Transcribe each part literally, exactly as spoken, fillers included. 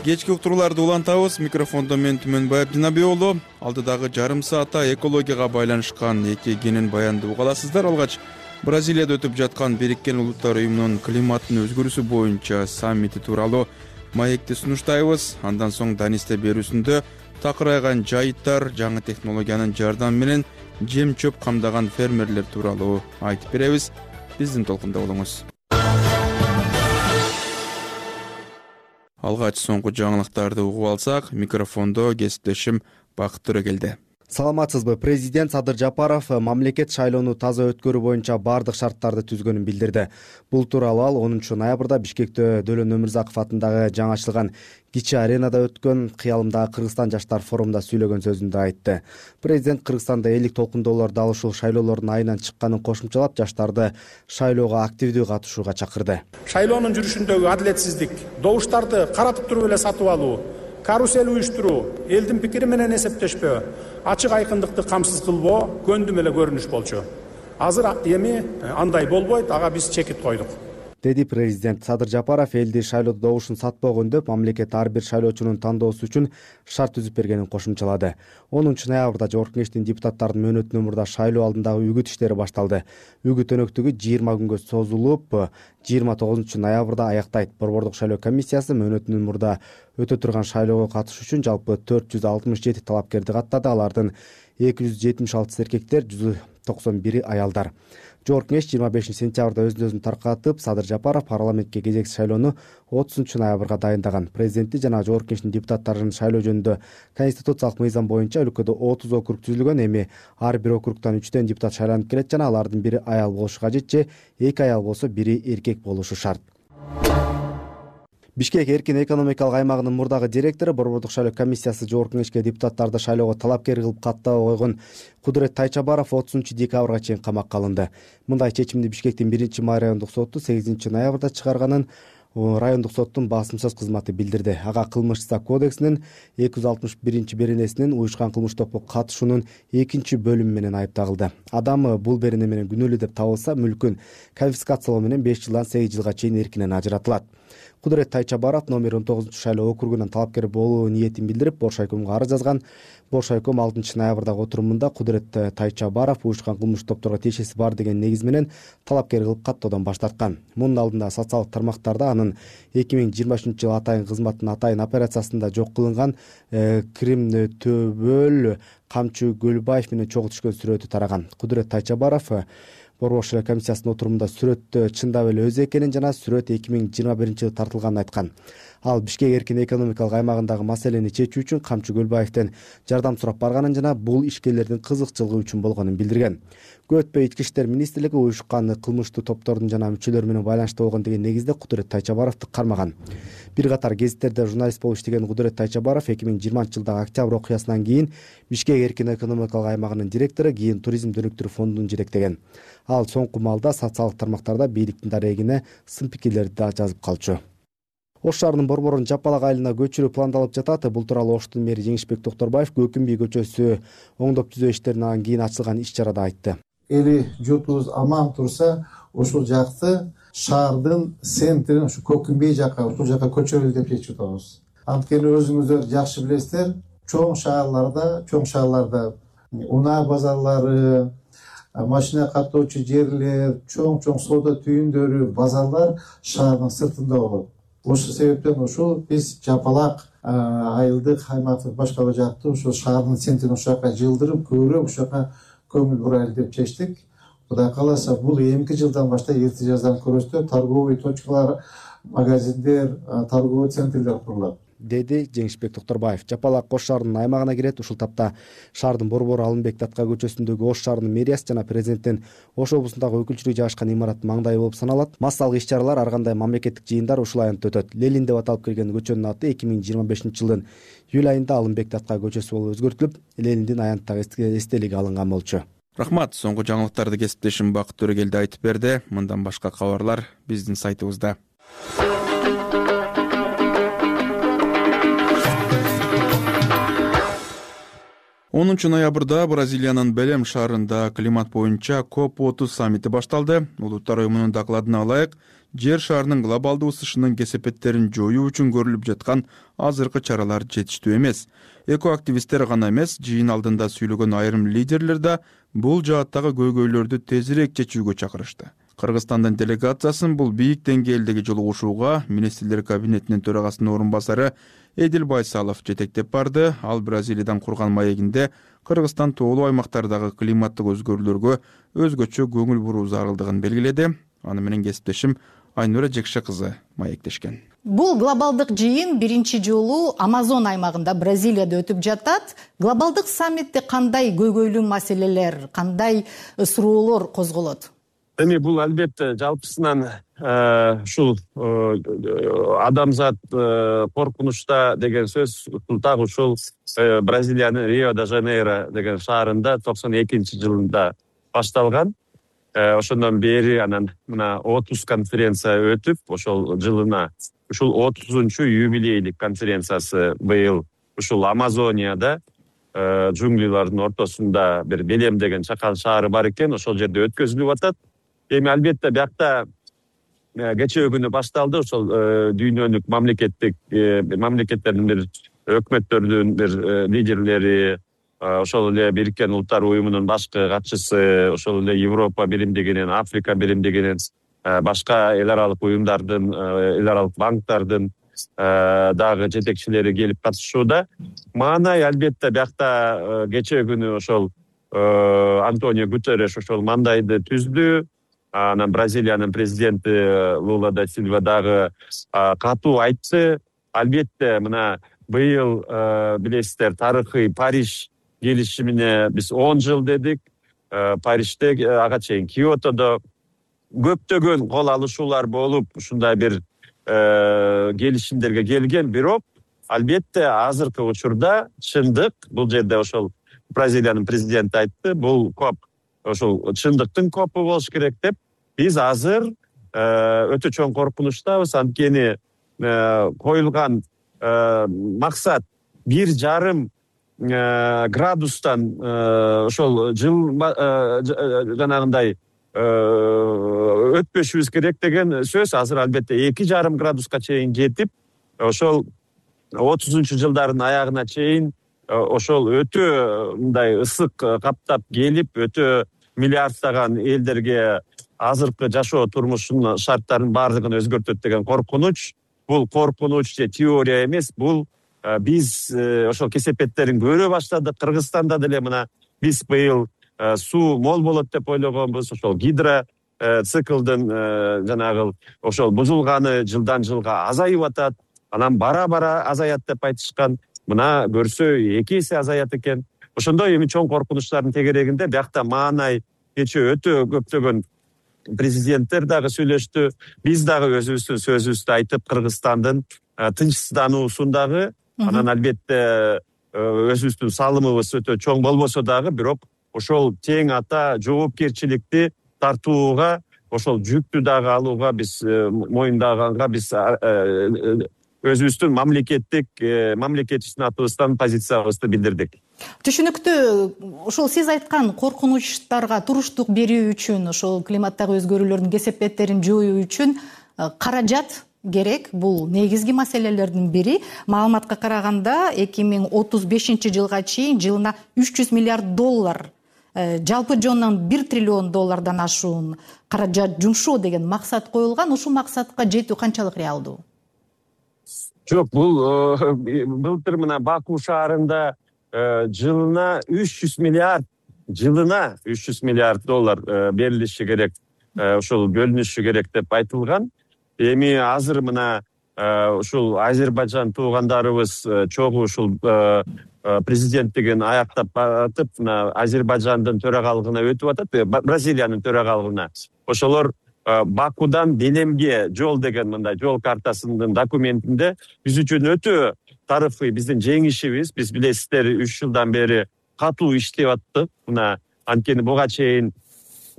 Кечки уктурууларды улантабыз. Микрофондо мен Түмөнбаев Динабек уулу. Алдыдагы жарым саатта экологияга байланышкан эки кенен баянды уга аласыздар. Алгач Бразилияда өтүп жаткан Бириккен Улуттар уюмунун климаттын өзгөрүүсү боюнча саммити тууралуу маекти сунуштайбыз. Андан соң Данисте берүүсүндө такырайган жайыттар, жаңы технологиянын жардамы менен жем чөп камдаган фермерлер тууралуу айтып беребиз. Биздин толкунда болуңуз. Алгач соңку жаңылыктарды угуп алсак, микрофондо кесиптешим Бакыт Төрөгелди. Саламатсызбы? Президент Садыр Жапаров мамлекет шайлоону таза өткөрүү боюнча бардык шарттарды түзгөнүн билдирди. Бул тууралуу ал онунчу ноябрда Бишкекте Дөлөн Өмүрзаков атындагы жаңычылган Кичи аренада өткөн Кыялымдагы Кыргызстан жаштар форумунда сүйлөгөн сөзүндө айтты. Президент Кыргызстанда элдик толкундоолорду дал ушул шайлоолордун айынан чыкканын кошумчалап, жаштарды шайлоого активдүү катышууга чакырды. Шайлоонун жүрүшүндөгү адилетсиздик, добуштарды каратып туруп эле сатып алуу, карусель уюштуруу, элдин пикири менен эсептешпөө, ачык айкындыкты камсыз кылбоо көндүм эле көрүнүш болчу. Азыр эми андай болбойт, ага биз чекит койдук, деди президент. Садыр Жапаров элди шайлоодо добушун сатпоо деп мамлекет ар бир шайлоочунун тандоосу үчүн шарт түзүп бергенин кошумчалады. онунчу ноябрда Жогорку Кеңештин депутаттардын мөөнөтүнөн мурда шайлоо алдындагы үгүт иштери башталды. Үгүт өнөктүгү жыйырма күнгө созулуп, жыйырма тогузунчу ноябрда аяктайт. Борбордук шайлоо комиссиясы мөөнөтүнөн мурда өтө турган шайлоого катышуу үчүн жалпы төрт жүз алтымыш жети талапкерди каттады. Алардын эки жүз жетимиш алтысы эркектер, жүз токсон бири аялдар. Жогорку Кеңеш жыйырма бешинчи сентябрда өз өзүн таркатып, Садыр Жапаров парламентке кезекси шайлоону отузунчу ноябрга дайындаган. Президенти жана Жогорку Кеңештин депутаттарын шайлоо жөнүндө конституциялык мыйзам боюнча өлкөдө отуз округ түзүлгөн. Эми ар бир округтан үчтөн депутат шайланып келет жана алардын бири аял болушу кажет же эки аял болсо бири эркек болушу шарт. Бишкек эркин экономикалык аймагынын мурдагы директору Борбордук шайлоо комиссиясы Жогорку Кеңешке депутаттарды шайлоого талапкер кылып каттап койгон Кудурет Тайчабаров отузунчу декабрга чейин камакка алынды. Мындай чечимди Бишкектин биринчи май райондук соту сегизинчи ноябрда чыгарганын райондук соттун басым-сөз кызматы билдирди. Ага кылмыш-исак кодексинин эки жүз алтымыш биринчи беренесинин уюшкан кылмыш топко катышуунун экинчи бөлүмү менен айыпталды. Адам бул берене менен күнөөлүү деп табылса, мүлкүн конфискациялоо менен беш жылдан сегиз жылга чейин эркинен ажыратылат. Кудурет Тайчабаров номер он тогузунчу шайлоо округунан талапкер болуу ниетин билдирип, Бош айкомго арыз жазган. Бош айком алтынчы ноябрдагы отурумунда Кудурет Тайчабаров уюшкан кылмыш топторго тиешеси бар деген негиз менен талапкер кылып каттоодон баш тарткан. Мунун алдында социалдык тармактарда анын эки миң жыйырма үчүнчү жылы атайын кызматтын атайын операциясында жок кылынган Крим Төбөл Камчы Гөлбаев менен чогуу түшкөн сүрөтү тараган. Кудурет Тайчабаров Борбордук шайлоо комиссиясынын отурумунда сүрөттө чындап эле өзү экенин жана сүрөт эки миң жыйырма биринчи жылы тартылганын айткан. Ал Бишкек эркин экономикалык аймагындагы маселени чечүү үчүн Камчы Гөлбаевден жардам сурап барганын жана бул ишкерлердин кызыкчылыгы үчүн болгонун билдирген. Көп өтпөй Ички иштер министрлиги уюшкан кылмыштуу топтордун жана мүчөлөрү менен байланышта болгон деген негизде Кудурет Тайчабаровду кармаган. Бир катар гезиттерде журналист болуп иштеген Кудурет Тайчабаров эки миң жыйырманчы жылдагы октябрь окуясынан кийин Бишкек эркин экономикалык аймагынын директору, кийин туризм өнүктүрүү фондунун жетектеген. Ал соңку малда социалдык тармактарда бийликтин дарегине сын пикирлерди да жазып калчу. Ош шаарынын борборун Жапалак айылына көчүрүү пландалып жатат. Бул тууралуу Оштун мэри Жеңишбек Токторбаев Көкүмбий көчөсү оңдоп түзөө иштеринен кийин ачылган иш чарада айтты. Эли журтубуз аман турса, ушул жакты шаардын центрин ушу Көкүмбий жакка, ушул жакка көчүрөлү деп чечип атабыз. Анткени өзүңүздөр жакшы билесиздер, чоң шаарларда, чоң шаарларда унаа базарлары, машина каттоочу жерлер, чоң-чоң соода түйүндөрү, базарлар шаардын сыртында болот. Ошол себептен ушул биз Жапалак айылдык аймактык башкаруу жакты ушул шаардын центрин ушул жака жылдырып, көбүрөөк ушул жака көңүл бурайлы деп чечтик. Кудай кааласа, бул эмки жылдан баштап эрте жаздан көрөстө торговый точкалар, магазиндер, торговый центрлер курулат, деди Жеңишбек Токторбаев. Жапалак Ош шаарынын аймагына кирет. Ушул тапта шаардын борбору Алымбек Датка көчөсүндөгү Ош шаарынын мэриясы жана президенттин Ош облусундагы өкүлчүлүгү жайгашкан имараттын маңдайы болуп саналат. Массалык иш-чаралар, ар кандай мамлекеттик жыйындар ушул аянтта өтөт. Ленин деп аталып келген көчөнүн аты эки миң жыйырма бешинчи жылдын июль айында Алымбек Датка көчөсү болуп өзгөртүлүп, Лениндин аянттагы эстелиги алынган болчу. Рахмат. Соңку жаңылыктарды кесиптешим Бакыт Төрөгелди айтып берди. Мындан башка кабарлар биздин сайтыбызда. онунчу ноябрда Бразилиянын Белем шаарында климат боюнча коп отуз саммити башталды. Улуттар уюмунун докладына ылайык, жер шарынын глобалдуу ысышынын кесепеттерин жоюу үчүн көрүлүп жаткан азыркы чаралар жетиштүү эмес. Экоактивисттер гана эмес, жыйын алдында сүйлөгөн айрым лидерлер да бул жааттагы көйгөйлөрдү тезирээк чечүүгө чакырышты. Кыргызстандын делегациясын бул бийик деңгээлдеги жолугушууга министрлер кабинетинин төрагасынын орун басары Эдил Байсалов жетектеп барды. Ал Бразилиядан курган маегинде Кыргызстан тоолуу аймактардагы климаттык өзгөрүүлөргө өзгөчө көңүл буруу зарылдыгын белгиледи. Аны менен кесиптешим Айнура Жекше кызы маектешкен. Бул глобалдык жыйын биринчи жолу Амазон аймагында Бразилияда өтүп жатат. Глобалдык саммитте кандай көйгөйлүү маселелер, кандай суроолор козголот? Эми бул албетте жалпысынан ушул адамзат коркунучта деген сөз так ушул Бразилиянын Рио-де-Жанейро деген шаарында токсон экинчи жылында башталган. Ошондон бери анан мына отуз конференция өтүп, ошол жылына ушул отузунчу юбилейлик конференциясы быйыл ушул Амазонияда джунглилардын ортосунда бир Белем деген чакан шаары бар экен, ошол жерде өткөзүлүп атат. Эми албетте биякта кечээ күнү башталды ошол дүйнөлүк мамлекеттик мамлекеттердин бир өкмөттөрдүн бир лидерлери, ошол эле Бириккен Улуттар уюмунун башкы катчысы, ошол эле Европа биримдигинин, Африка биримдигинин, башка эл аралык уюмдардын, эл аралык банктардын дагы жетекчилери келип катышууда. Маанай албетте биякта кечээ күнү ошол Антонио Гутерреш ошол мандайды түздү. Анан Бразилиянын президенти Лула да Силва дагы катуу айтты. Албетте мына быйыл билесиздер, тарыхый Париж келишимине биз он жыл дедик. Парижде ага чейин Киотодо көптөгөн кол алышуулар болуп, ушундай бир келишимдерге келген, бирок албетте азыркы учурда чындык, бул жерде ошол Бразилиянын президенти айтты, бул коп ошол чындыктын копу болуш керек деп. Биз азыр өтө чоң коркунучтабыз, анткени коюлган максат бир жарым градустан ошол жыл жанагындай өтпөшүбүз керек деген сөз азыр албетте эки жарым градуска чейин жетип, ошол отузунчу жылдардын аягына чейин ошол өтө мындай ысык каптап келип, өтө миллиарддаган элдерге азыркы жашоо турмушунун шарттарынын баардыгын өзгөртөт деген коркунуч. Бул коркунуч же теория эмес, бул биз ошол кесепеттерин көрө баштадык. Кыргызстанда деле мына биз быйыл суу мол болот деп ойлогонбуз. Ошол гидро циклдын жанагы ошол бузулганы жылдан жылга азайып атат. Анан бара-бара азаят деп айтышкан. Мына көрсө эки эсе азаят экен. Ошондой эми чоң коркунучтардын тегерегинде биякта маанай кечээ өтө көптөгөн президенттер дагы сүйлөштү. Биз дагы өзүбүздүн сөзүбүздү айтып, Кыргызстандын тынчсыздануусун дагы, анан албетте өзүбүздүн салымыбыз өтө чоң болбосо дагы, бирок ошол тең ата жоопкерчиликти тартууга, ошол жүктү дагы алууга биз моюндаганга биз өзүбүздүн мамлекеттик мамлекетчилик атыбыздан позициябызды билдирдик. Түшүнүктүү. Ошол сиз айткан коркунучтарга туруштук берүү үчүн, ошол климаттагы өзгөрүүлөрдүн кесепеттерин жоюу үчүн каражат керек. Бул негизги маселелердин бири. Маалыматка караганда эки миң отуз бешинчи жылга чейин жылына үч жүз миллиард доллар, жалпы жонунан бир триллион доллардан ашуун каражат жумшоо деген максат коюлган. Ушул максатка жетүү канчалык реалдуу? Жок, бул былтыр мына Баку шаарында жылына үч жүз миллиард, жылына үч жүз миллиард доллар берилиши керек, ошол бөлүнүшү керек деп айтылган. Эми азыр мына ушул Азербайжан туугандарыбыз чогуу ушул президенттигин аяктап атып, мына Азербайжандын төрагалыгына өтүп атат, Бразилиянын төрагалыгына. Ошолор Бакудан Белемге жол деген мындай жол картасынын документинде биз үчүн өтө тарыхый биздин жеңишибиз. Биз билесиздер, үч жылдан бери катуу иштеп аттык. Мына анткени буга чейин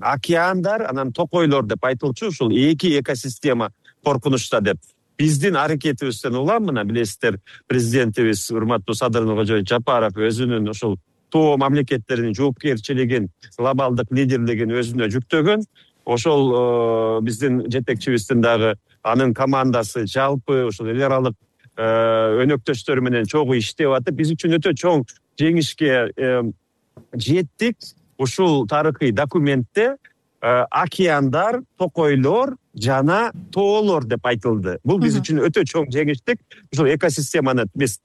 океандар, анан токойлор деп айтылчу, ушул эки экосистема коркунучта деп. Биздин аракетибизден улам мына билесиздер, президентибиз урматтуу Садыр Нуркожоевич Жапаров өзүнүн ушул тоо мамлекеттеринин жоопкерчилигин, глобалдык лидерлигин өзүнө жүктөгөн. Ошол биздин жетекчибиздин дагы анын командасы жалпы ошол эл аралык өнөктөштөр менен чогуу иштеп атып, биз үчүн өтө чоң жеңишке жеттик. Ушул тарыхый документте океандар, токойлор жана тоолор деп айтылды. Бул биз үчүн өтө чоң жеңиштик. Ушул экосистеманы биз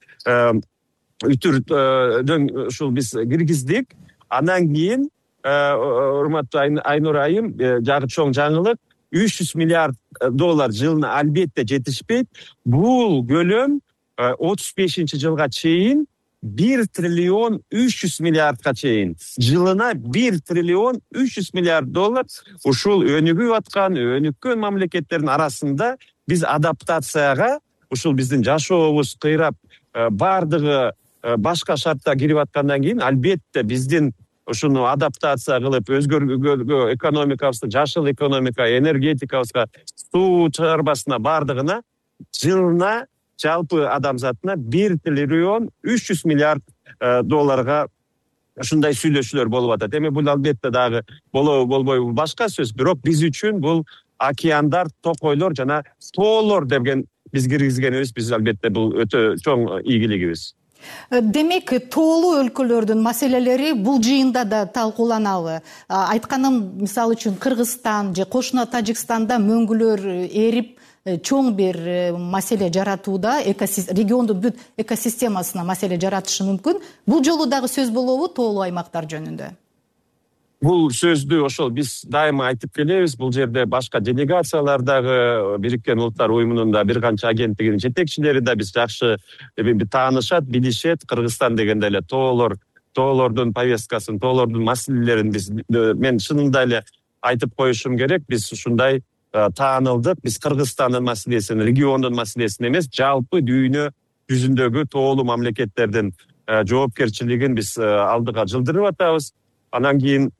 үтүрдөн ушул биз киргиздик. Андан кийин урматтуу Айнур айым, жагы чоң жаңылык, үч жүз миллиард доллар жылына албетте жетишпейт. Бул көлөм отуз бешинчи жылга чейин бир триллион үч жүз миллиардга чейин, жылына бир триллион үч жүз миллиард доллар ушул өнүгүп аткан, өнүккөн мамлекеттердин арасында биз адаптацияга, ушул биздин жашообуз кыйрап бардыгы башка шартта кирип аткандан кийин албетте биздин ушуну адаптация кылып өзгөргө экономикабызды, жашыл экономика, энергетикабызга, суу чыгарбасына бардыгына жылына жалпы адамзатына бир триллион үч жүз миллиард долларга ушундай сүйлөшүүлөр болуп атат. Эми бул албетте дагы болобу болбойбу башка сөз, бирок биз үчүн бул океандар, токойлор жана тоолор деген биз киргизгенибиз биз албетте бул өтө чоң ийгилигибиз. Демек, тоолуу өлкөлөрдүн маселелери бул жыйында да талкууланабы? Айтканым, мисалы үчүн Кыргызстан же кошуна Тажикстанда мөңгүлөр эрип чоң бир маселе жаратууда, региондун бүт экосистемасына маселе жаратышы мүмкүн. Бул жолу дагы сөз болобу тоолуу аймактар жөнүндө? Бул сөздү ошол биз дайыма айтып келебиз. Бул жерде башка делегациялар дагы, Бириккен Улуттар уюмунун да бир канча агенттигинин жетекчилери да биз жакшы таанышат, билишет. Кыргызстан дегенде эле тоолор, тоолордун повесткасын, тоолордун маселелерин биз мен чынында эле айтып коюшум керек. Биз ушундай таанылдык. Биз Кыргызстандын маселесин, региондун маселесин эмес, жалпы дүйнө жүзүндөгү тоолуу мамлекеттердин жоопкерчилигин биз алдыга жылдырып атабыз. Анан кийин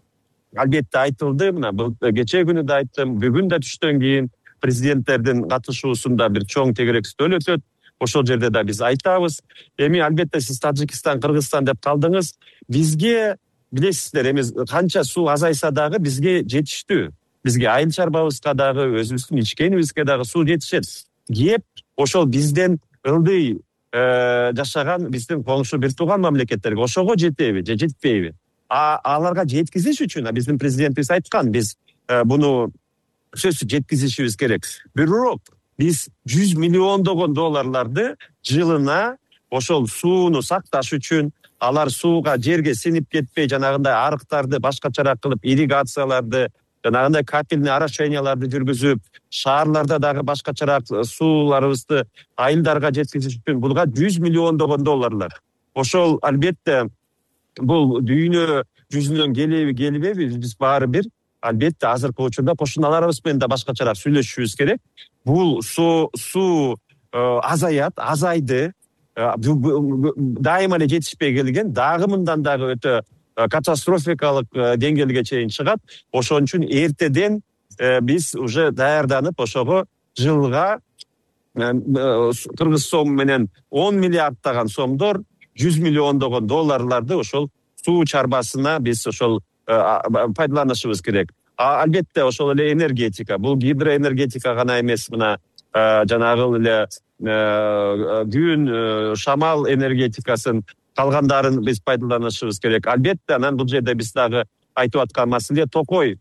албетте айтылды, мына кечээ күнү да айттым, бүгүн да түштөн кийин президенттердин катышуусунда бир чоң тегерек стөл өтөт. Ошол жерде да биз айтабыз. Эми албетте сиз Тажикстан, Кыргызстан деп калдыңыз. Бизге билесиздер, эми канча суу азайса дагы бизге жетиштүү. Бизге айыл чарбабызга дагы, өзүбүздүн ичкенибизге дагы суу жетишет. Кеп ошол бизден ылдый жашаган биздин коңшу бир тууган мамлекеттерге ошого жетеби же жетпейби? А аларга жеткизиш үчүн биздин президентибиз айткан, биз буну сөзсүз жеткизишибиз керек. Бирок биз жүз миллиондогон долларларды жылына ошол сууну сакташ үчүн, алар сууга жерге синип кетпей, жанагындай арыктарды башкачараак кылып, ирригацияларды, жанагындай капельный орошенияларды жүргүзүп, шаарларда дагы башкачараак сууларыбызды айылдарга жеткизиш үчүн булга жүз миллиондогон долларлар. Ошол албетте бул дүйнө жүзүнөн келеби келбеби, биз баары бир албетте азыркы учурда кошуналарыбыз менен да башкачараак сүйлөшүшүбүз керек. Бул суу азаят, азайды, дайыма эле жетишпей келген, дагы мындан дагы өтө катастрофикалык деңгээлге чейин чыгат. Ошон үчүн эртеден биз уже даярданып, ошого жылга кыргыз сом менен он миллиарддаган сомдор, жүз миллиондогон долларларды ошол суу чарбасына биз ошол пайдаланышыбыз керек. Албетте ошол эле энергетика, бул гидроэнергетика гана эмес, мына жанагы эле күн, шамал энергетикасын, калгандарын биз пайдаланышыбыз керек. Албетте анан бул жерде биз дагы айтып аткан маселе токой.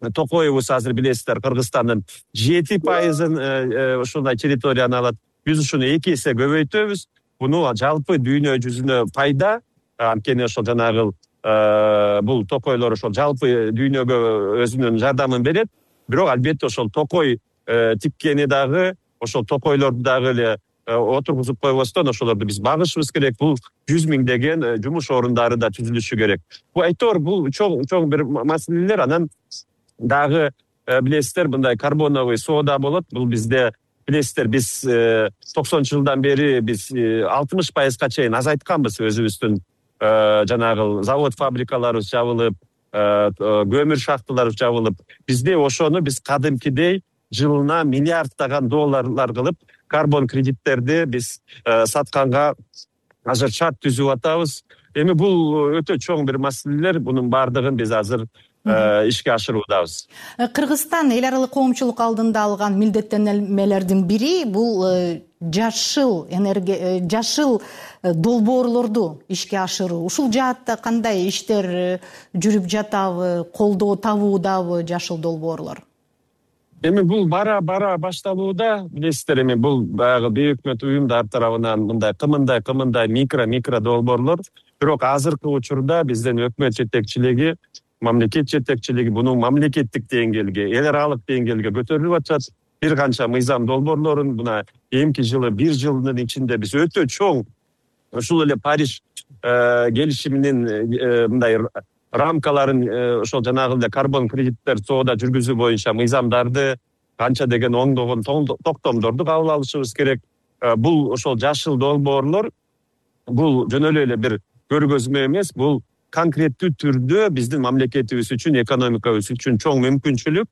Токойбуз азыр билесиздер, Кыргызстандын жети пайызын ушундай территорияны алат. Биз ушуну эки эсе көбөйтөбүз. Буну жалпы дүйнө жүзүнө пайда, анткени ошол жанагы бул токойлор ошол жалпы дүйнөгө өзүнүн жардамын берет. Бирок албетте ошол токой тиккени дагы, ошол токойлорду дагы эле отургузуп койбостон ошолорду биз багышыбыз керек. Бул жүз миңдеген жумуш орундары да түзүлүшү керек. Бул айтор бул чоң чоң бир маселелер. Анан дагы билесиздер, мындай карбоновый соода болот. Бул бизде билесиздер, биз токсонунчу жылдан бери биз алтымыш пайызга чейин азайтканбыз өзүбүздүн жанагы завод фабрикаларыбыз жабылып, көмүр шахталары жабылып. Бизде ошону биз кадимкидей жылына миллиарддаган долларлар кылып карбон кредиттерди биз сатканга азыр шарт түзүп атабыз. Эми бул өтө чоң бир маселелер, бунун баардыгын биз азыр ишке ашыруудабыз. Кыргызстан эл аралык коомчулук алдында алган милдеттенмелердин бири бул жашыл энергия, жашыл долбоорлорду ишке ашыруу. Ушул жаатта кандай иштер жүрүп жатабы, колдоо табуудабы жашыл долбоорлор? Эми бул бара бара башталууда, билесиздер, эми бул баягы бейөкмөт уюмдар тарабынан мындай кымындай кымындай микро микро долбоорлор, бирок азыркы учурда биздин өкмөт жетекчилиги, мамлекет жетекчилиги буну мамлекеттик деңгээлге, эл аралык деңгээлге көтөрүлүп атат. Бир канча мыйзам долбоорлорун мына эмки жылы, бир жылдын ичинде биз өтө чоң ушул эле Париж келишиминин мындай рамкаларын, ошол жанагы эле карбон кредиттер соода жүргүзүү боюнча мыйзамдарды, канча деген оңдогон токтомдорду кабыл алышыбыз керек. Бул ошол жашыл долбоорлор бул жөн эле бир көргөзмө эмес, бул конкреттүү түрдө биздин мамлекетибиз үчүн, экономикабыз үчүн чоң мүмкүнчүлүк,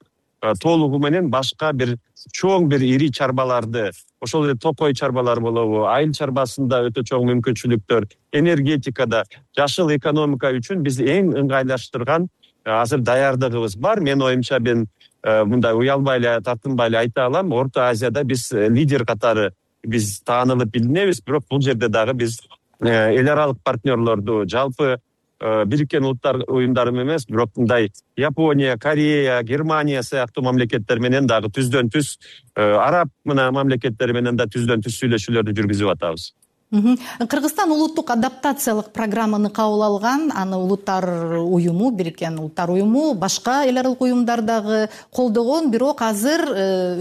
толугу менен башка бир чоң бир ири чарбаларды, ошол эле токой чарбалар болобу, айыл чарбасында өтө чоң мүмкүнчүлүктөр, энергетикада, жашыл экономика үчүн биз эң ыңгайлаштырган азыр даярдыгыбыз бар. Мен оюмча мен мындай уялбай эле, тартынбай эле айта алам, Орто Азияда биз лидер катары биз таанылып билинебиз, бирок бул жерде дагы биз эл аралык партнерлорду, жалпы Бириккен Улуттар уюмдары эмес, бирок мындай Япония, Корея, Германия сыяктуу мамлекеттер менен дагы түздөн түз, араб мына мамлекеттери менен да түздөн түз сүйлөшүүлөрдү жүргүзүп атабыз. Кыргызстан улуттук адаптациялык программаны кабыл алган, аны Улуттар уюму, Бириккен Улуттар уюму, башка эл аралык уюмдар дагы колдогон, бирок азыр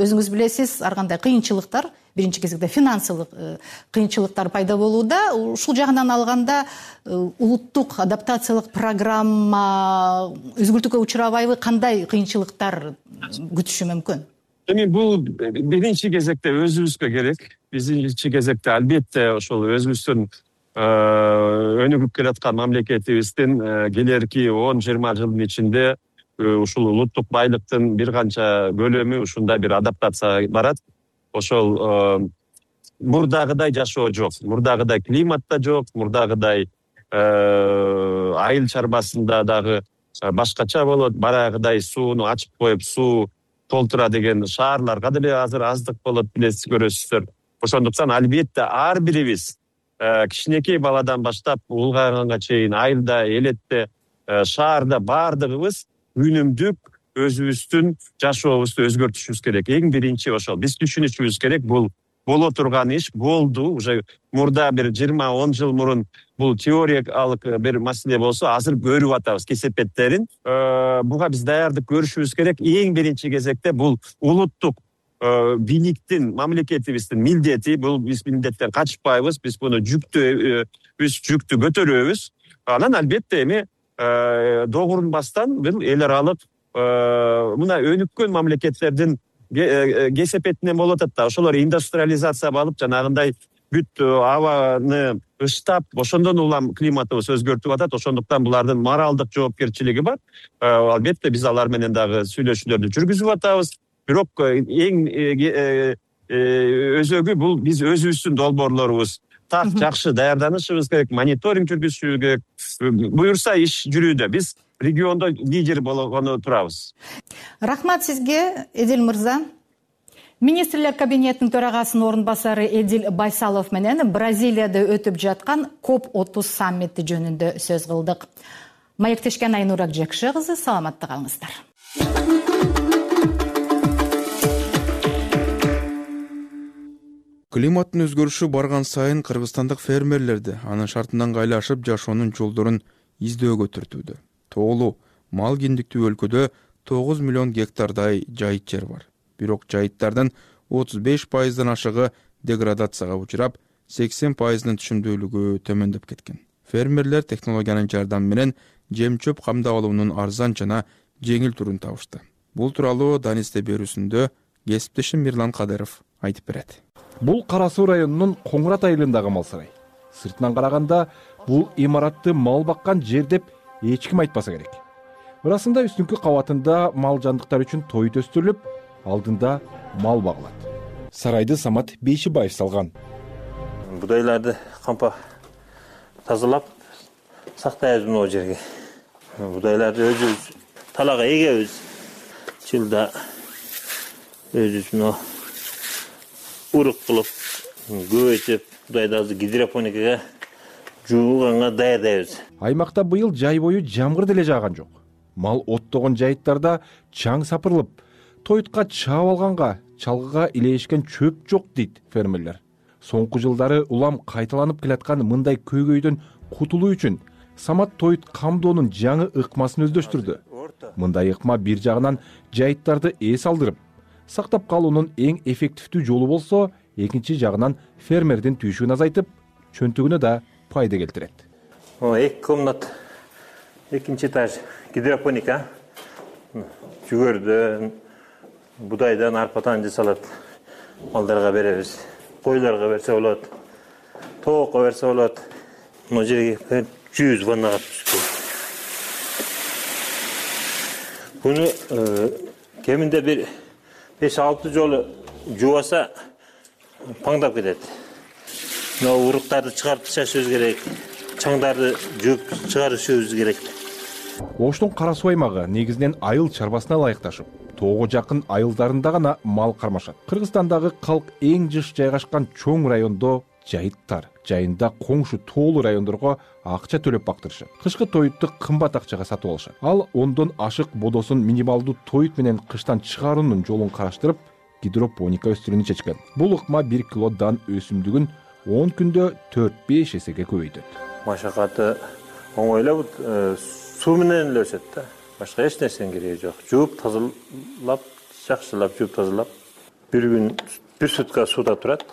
өзүңүз билесиз, ар кандай кыйынчылыктар, биринчи кезекте финансылык кыйынчылыктар пайда болууда. Ушул жагынан алганда улуттук адаптациялык программа өзгөртүүгө учурабайбы, кандай кыйынчылыктар күтүшү мүмкүн? Эми бул биринчи кезекте өзүбүзгө керек. Биринчи кезекте албетте ошол өзүбүздүн өнүгүп келаткан мамлекетибиздин келерки он жыйырма жылдын ичинде ушул улуттук байлыктын бир канча бөлүмү ушундай бир адаптацияга барат. Ошол мурдагыдай жашоо жок, мурдагыдай климат да жок, мурдагыдай айыл чарбасында дагы башкача болот, барагыдай сууну ачып коюп суу толтура деген шаарларга деле азыр аздык болот, билесиз, көрөсүздөр. Ошондуктан албетте ар бирибиз кичинекей баладан баштап улгайганга чейин айылда, элетте, шаарда баардыгыбыз үнүмдүк өзүбүздүн жашообузду өзгөртүшүбүз керек. Эң биринчи ошол. Биз түшүнүшүбүз керек, бул боло турган иш болду. Уже мурда бир жыйырма он жыл мурун бул теориялык бир маселе болсо, азыр көрүп атабыз кесепеттерин. Буга биз даярдык көрүшүбүз керек. Эң биринчи кезекте бул улуттук бийликтин, мамлекетибиздин милдети. Бул биз милдеттен качпайбыз, биз буну жүктү, биз жүктү көтөрөбүз. Анан албетте эми догурунбастан бул эл аралык мына өнүккөн мамлекеттердин кесепетинен болуп атат да. Ошолор индустриализация алып, жанагындай бүт абаны ыштап, ошондон улам климатыбыз өзгөртүп атат. Ошондуктан булардын моралдык жоопкерчилиги бар. Албетте биз алар менен дагы сүйлөшүүлөрдү жүргүзүп атабыз. Бирок эң өзөгү бул биз өзүбүздүн долбоорлорубуз так жакшы даярданышыбыз керек, мониторинг жүргүзүшүбүз керек. Буюрса иш жүрүүдө. Биз региондо лидер болгону турабыз. Рахмат сизге, Эдил мырза. Министрлер кабинетинин төрагасынын орун басары Эдил Байсалов менен Бразилияда өтүп жаткан коп отуз саммити жөнүндө сөз кылдык. Маектешкен Айнур Акжекши кызы, саламатта калыңыздар. Климаттын өзгөрүшү барган сайын кыргызстандык фермерлерди анын шартынан кайлашып жашоонун жолдорун издөөгө түртүүдө. Тоолуу, мал киндиктүү өлкөдө тогуз миллион гектардай жайыт жер бар. Бирок жайыттардын отуз беш пайыздан ашыгы деградацияга учурап, сексен пайызынын түшүмдүүлүгү төмөндөп кеткен. Фермерлер технологиянын жардамы менен жем-чөп камдап алуунун арзан жана жеңил турун табышты. Бул тууралуу Данисте берүүсүндө кесиптешим Мирлан Кадыров айтып берет. Бул Кара Суу районунун Коңурат айылындагы мал сарай. Сыртынан караганда бул имаратты мал баккан жер деп эч ким айтпаса керек. Ырасында үстүнкү кабатында мал жандыктар үчүн тоют өстүрүлүп, алдында мал багылат. Сарайды Самат Бейшибаев салган. Будайларды кампа тазалап, сактайбыз могу жерге. Будайларды өзүбүз талага эгебиз. Жылда өзүбүз мына урук кылып, көбөйтүп, будайды азыр гидропоникага жууганга даярдайбыз. Аймакта быйыл жай бою жамгыр деле жааган жок. Мал оттогон жайыттарда чаң сапырылып, тойтка чаап алганга, чалгыга илешкен чөп жок дейт фермерлер. Соңку жылдары улам кайталанып келаткан мындай көйгөйдөн кутулуу үчүн Самат Тоют камдоонун жаңы ыкмасын өздөштүрдү. Мындай ыкма бир жагынан жайыттарды эс алдырып, сактап калуунун эң эффективдүү жолу болсо, экинчи жагынан фермердин түйшүгүн азайтып, чөнтүгүнө да пайда келтирет. Эки комнат, экинчи этаж гидропоника. Жүгөрдөн, будайдан, арпадан жасалат. Малдарга беребиз. Койлорго берсе болот. Тоокко берсе болот. Мына жерге жүз ваннага түшкөн. Буну кеминде бир беш алты жолу жуаса паңдап кетет. Мына уруктарды чыгарып ташышыбыз керек. Чаңдарды жууп чыгарышыбыз керек. Оштун Кара Суу аймагы негизинен айыл чарбасына ылайыкташып, тоого жакын айылдарында гана мал кармашат. Кыргызстандагы калк эң жыш жайгашкан чоң райондо жайыттар, жайында коңшу тоолуу райондорго акча төлөп бактырышат. Кышкы тоютту кымбат акчага сатып алышат. Ал ондон ашык бодосун минималдуу тоют менен кыштан чыгаруунун жолун караштырып, гидропоника өстүрүүнү чечкен. Бул ыкма бир кило дан өсүмдүгүн он күндө төрт беш эсеге көбөйтөт. Машакаты оңой эле, суу менен эле өсөт да. Башка эч нерсенин кереги жок. Жууп, тазалап, жакшылап жууп тазалап, бир күн бир сутка сууда турат.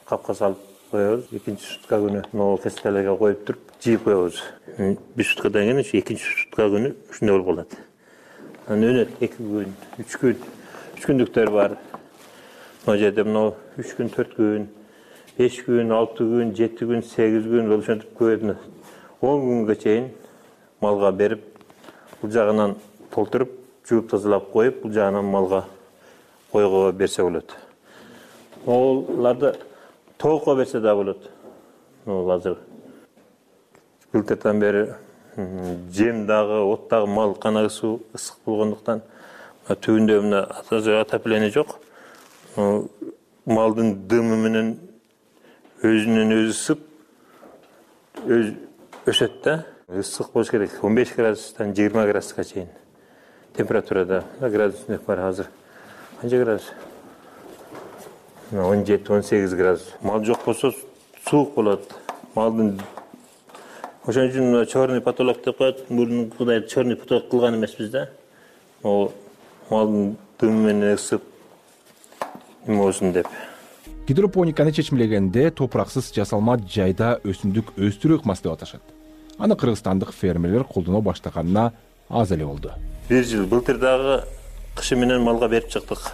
Капка салып коебуз. Экинчи сутка күнү могу кестелерге коюп туруп, жыйып коебуз. Бир суткадан кийин экинчи сутка күнү ушундай болуп калат. Анан өнөт эки күн, үч күн, үч күндүктөр бар. Мына жерде мына үч күн, төрт күн, беш күн, алты күн, жети күн, сегиз күн ошентип көбөйтүнөт. он күнгө чейин малга берип, бул жагынан толтуруп, жууп тазалап коюп, бул жагынан малга койго берсе болот. Оларды тоокко берсе да болот. Ол азыр былтырдан бери жем дагы, от дагы мал канагысуу ысык болгондуктан түбүндө мына отопление жок. Малдын дымы менен өзүнөн өзү ысып, өз өсөт да. Ысык болуш керек. он беш градустан жыйырма градуска чейин температурада. Градусник бар азыр. Канча градус? он жети он сегиз градус. Мал жок болсо суук болот. Малдын ошон үчүн черный потолок деп коет. Мурункудай черный потолок кылган эмеспиз да. Ол малдын дымы менен ысып эме болсун деп. Гидропониканы чечмелегенде топураксыз жасалма жайда өсүмдүк өстүрүү ыкмасы деп аташат. Аны кыргызстандык фермерлер колдоно баштаганына аз эле болду. Бир жыл былтыр дагы кышы менен малга берип чыктык.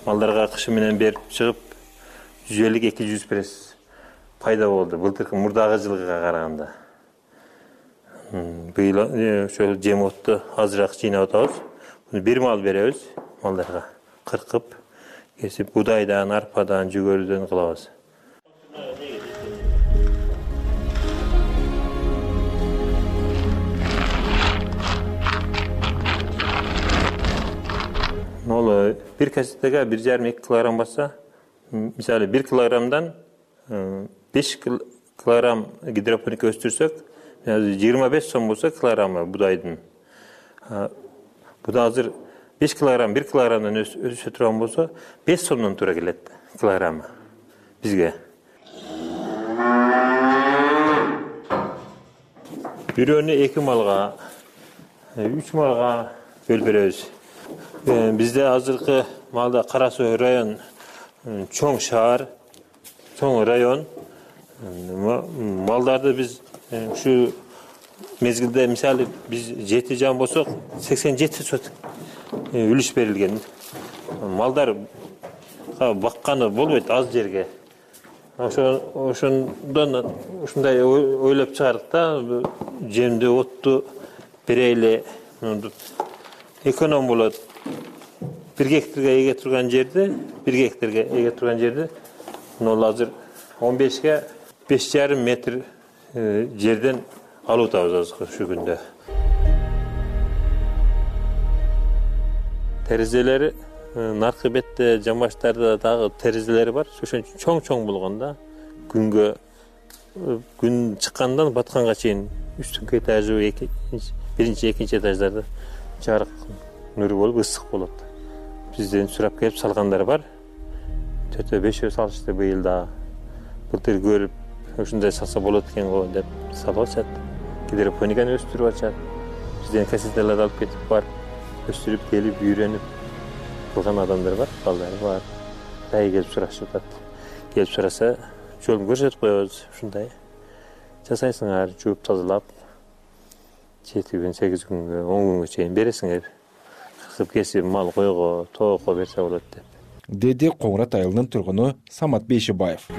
Малдарга кышы менен берип чыгып, жүз элүү эки жүз пресс пайда болду. Былтыркы мурдагы жылга караганда. Быйыл ошол жем отту азыраак жыйнап атабыз. Бир мал беребиз малдарга. Кыркып, кесип, будайдан, арпадан, жүгөрүдөн кылабыз. Ол бир касетеге бир жарым эки килограмм басса, мисалы бир килограммдан беш килограмм гидропоника өстүрсөк, жыйырма беш сом болсо килограммы будайдын. Буда азыр беш килограмм, бир килограммдан өсө турган болсо, беш сомдон туура келет килограммы бизге. Бирөөнү эки малга, үч малга бөлүп беребиз. Бизде азыркы малда Кара Суу район чоң шаар, чоң район. Малдарды биз ушу мезгилде мисалы биз жети жан болсок, сексен жети сот үлүш берилген. Малдар бакканы болбойт аз жерге. Ошондон ушундай ойлоп чыгардык да, жемди, отту берели, эконом болот. бир гектарга эге турган жерде, бир гектарга эге турган жерде, ал азыр он бешке беш жарым метр жерден алып атабыз ушул күндө. Терезелери наркы бетте жамбаштарда дагы терезелери бар. Ошон үчүн чоң-чоң болгондо күнгө күн чыккандан батканга чейин үстүнкү этажы биринчи, экинчи этаждарда жарык нуру болуп ысык болот. Бизден сурап келип салгандар бар. төртөө бешөө салышты быйыл да. Былтыр көрүп ушундай салса болот экен го деп салып атышат. Гидропониканы өстүрүп атышат. Бизден кассеталарды алып кетип бар, өстүрүп келип үйрөнүп кылган адамдар бар, балдары бар. Дайы келип сурашып атат. Келип сураса, жолун көрсөтүп коебуз. Ушундай жасайсыңар, жууп тазалап, жети күн, сегиз күнгө, он күнгө чейин бересиңер. Кыркып кесип мал койго, тоокко берсе болот деп. Деди Коңурат айылынын тургуну Самат Бейшибаев.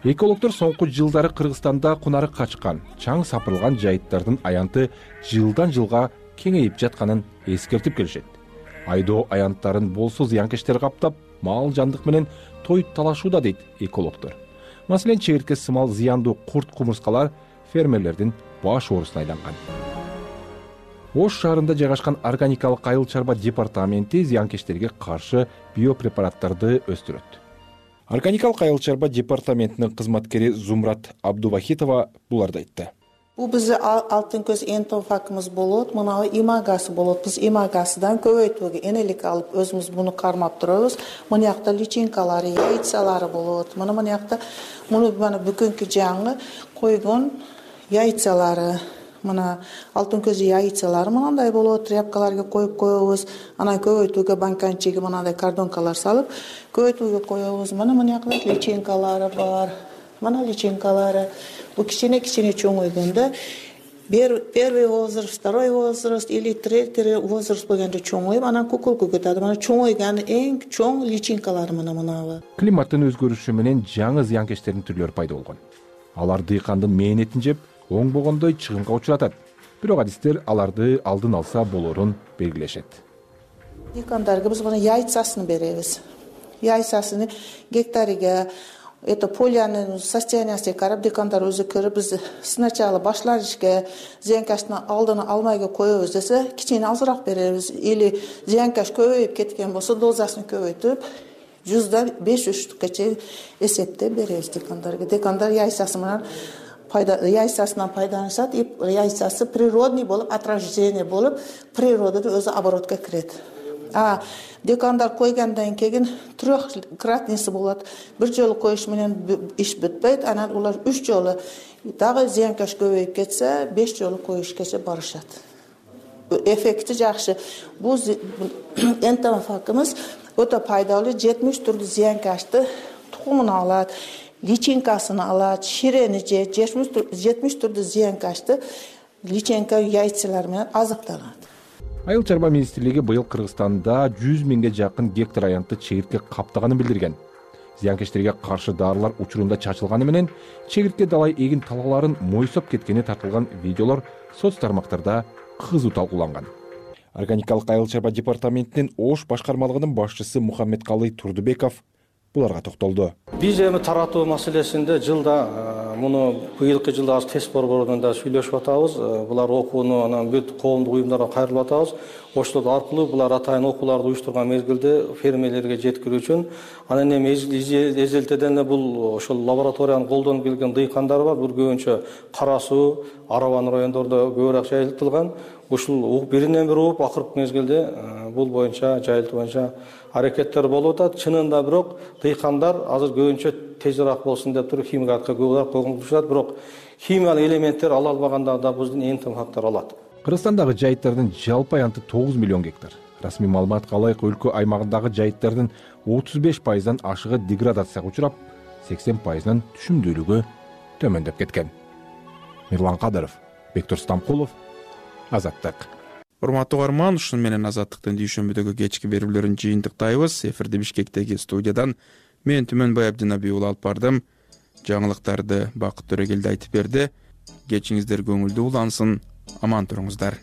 Экологдор соңку жылдары Кыргызстанда кунары качкан, чаң сапырылган жайыттардын аянты жылдан жылга кеңейип жатканын эскертип келишет. Айдоо аянттарын болсо зыянкечтер каптап, мал жандык менен тоюп талашууда дейт экологдор. Маселен, чегиртке сымал зыяндуу курт-кумурскалар фермерлердин баш оорусуна айланган. Ош шаарында жайгашкан органикалык айыл чарба департаменти зыянкечтерге каршы биопрепараттарды өстүрөт. Органикалык айыл чарба департаментинин кызматкери Зумрат Абдувахитова буларды айтты. Бул биздин алтын көз энтофакыбыз болот, мына имагасы болот. Биз имагасыдан көбөйтүүгө энелик алып өзүбүз муну кармап турабыз. Мына жакта личинкалары, яйцалары болот. Мына мына жакта муну мана бүгүнкү жаңы койгон яйцалары. Мына алтын көз яйцалары мындай болот. Тряпкаларга коюп коебуз. Анан көбөйтүүгө банканчиге мындай кардонкалар салып көбөйтүүгө коебуз. Мына мына жакта личинкалары бар. Мына личинкалары. Бу кичине-кичине чоңойгондо первый возраст, второй возраст или третий возраст болгондо чоңоюп, анан кукулку кетет. Мына чоңойган эң чоң личинкалар мына мынабы. Климаттын өзгөрүшү менен жаңы зыянкечтердин түрлөрү пайда болгон. Алар дыйкандын мээнетин жеп, оңбогондой чыгымга учуратат. Бирок адистер аларды алдын алса болорун белгилешет. Дыйкандарга биз мына яйцасын беребиз. Яйцасын гектариге это полянын состояниясына карап дыйкандар өзү көрүп, биз сначала башланышка зыянкачтын алдын алмайга коебуз десе, кичине азыраак беребиз. Или зыянкач көбөйүп кеткен болсо, дозасын көбөйтүп, жүздөн беш үчкө чейин эсептеп беребиз дыйкандарга. Дыйкандар яйцасы менен пайда яйцасынан пайдаланышат, и яйцасы природный болуп, от рождения болуп, природада өзү оборотко кирет. А дыйкандар койгондан кийин трехкратныйсы болот. Бир жолу коюш менен иш бүтпөйт, анан улар үч жолу дагы зыянкач көбөйүп кетсе, беш жолу коюшкача барышат. Эффекти жакшы. Бул энтофакыбыз өтө пайдалуу, жетимиш түрдүү зыянкачты тукумун алат, личинкасын алат, ширени же жетимиш түрдүү зыянкачты личинка яйцалар менен азыкталат. Айыл чарба министрлиги быйыл Кыргызстанда жүз миңге жакын гектар аянтты чегиртке каптаганын билдирген. Зыянкечтерге каршы дарылар учурунда чачылганы менен чегиртке далай эгин талааларын мойсоп кеткени тартылган видеолор соц тармактарда кызуу талкууланган. Органикалык айыл чарба департаментинин Ош башкармалыгынын башчысы Мухаммедкалый Турдубеков буларга токтолду. Биз эми таратуу маселесинде жылда муну быйылкы жылда аз тест борборунда сүйлөшүп атабыз. Булар окууну анан бүт коомдук уюмдарга кайрылып атабыз. Оштод аркылуу булар атайын окууларды уюштурган мезгилде фермерлерге жеткирүү үчүн анан эми эзелтеден эле бул ошол лабораторияны колдонуп келген дыйкандар бар. Бул көбүнчө Кара Суу, Арабан райондордо көбүрөөк жайылтылган. Ушул биринен бири уруп акыркы мезгилде бул боюнча жайылтуу боюнча аракеттер болуп атат. Чынында бирок дыйкандар азыр көбүнчө тезирээк болсун деп туруп химикатка көбүрөөк көңүл, бирок химиялык элементтер ала албаганда да биздин энтофактар алат. Кыргызстандагы жайыттардын жалпы аянты тогуз миллион гектар. Расмий маалыматка ылайык өлкө аймагындагы жайыттардын отуз беш пайыздан ашыгы деградацияга учурап, сексен пайызынан түшүмдүүлүгү төмөндөп кеткен. Мирлан Кадыров, Бектур Стамкулов, Азаттык. Урматтуу угарман, ушун менен Азаттыктын дүйшөмбүдөгү кечки берүүлөрүн жыйынтыктайбыз. Эфирди Бишкектеги студиядан мен Түмөнбай Абдинабий уулу алып бардым. Жаңылыктарды Бакыт Төрөгелди айтып берди. Кечиңиздер көңүлдүү улансын. Аман туруңуздар.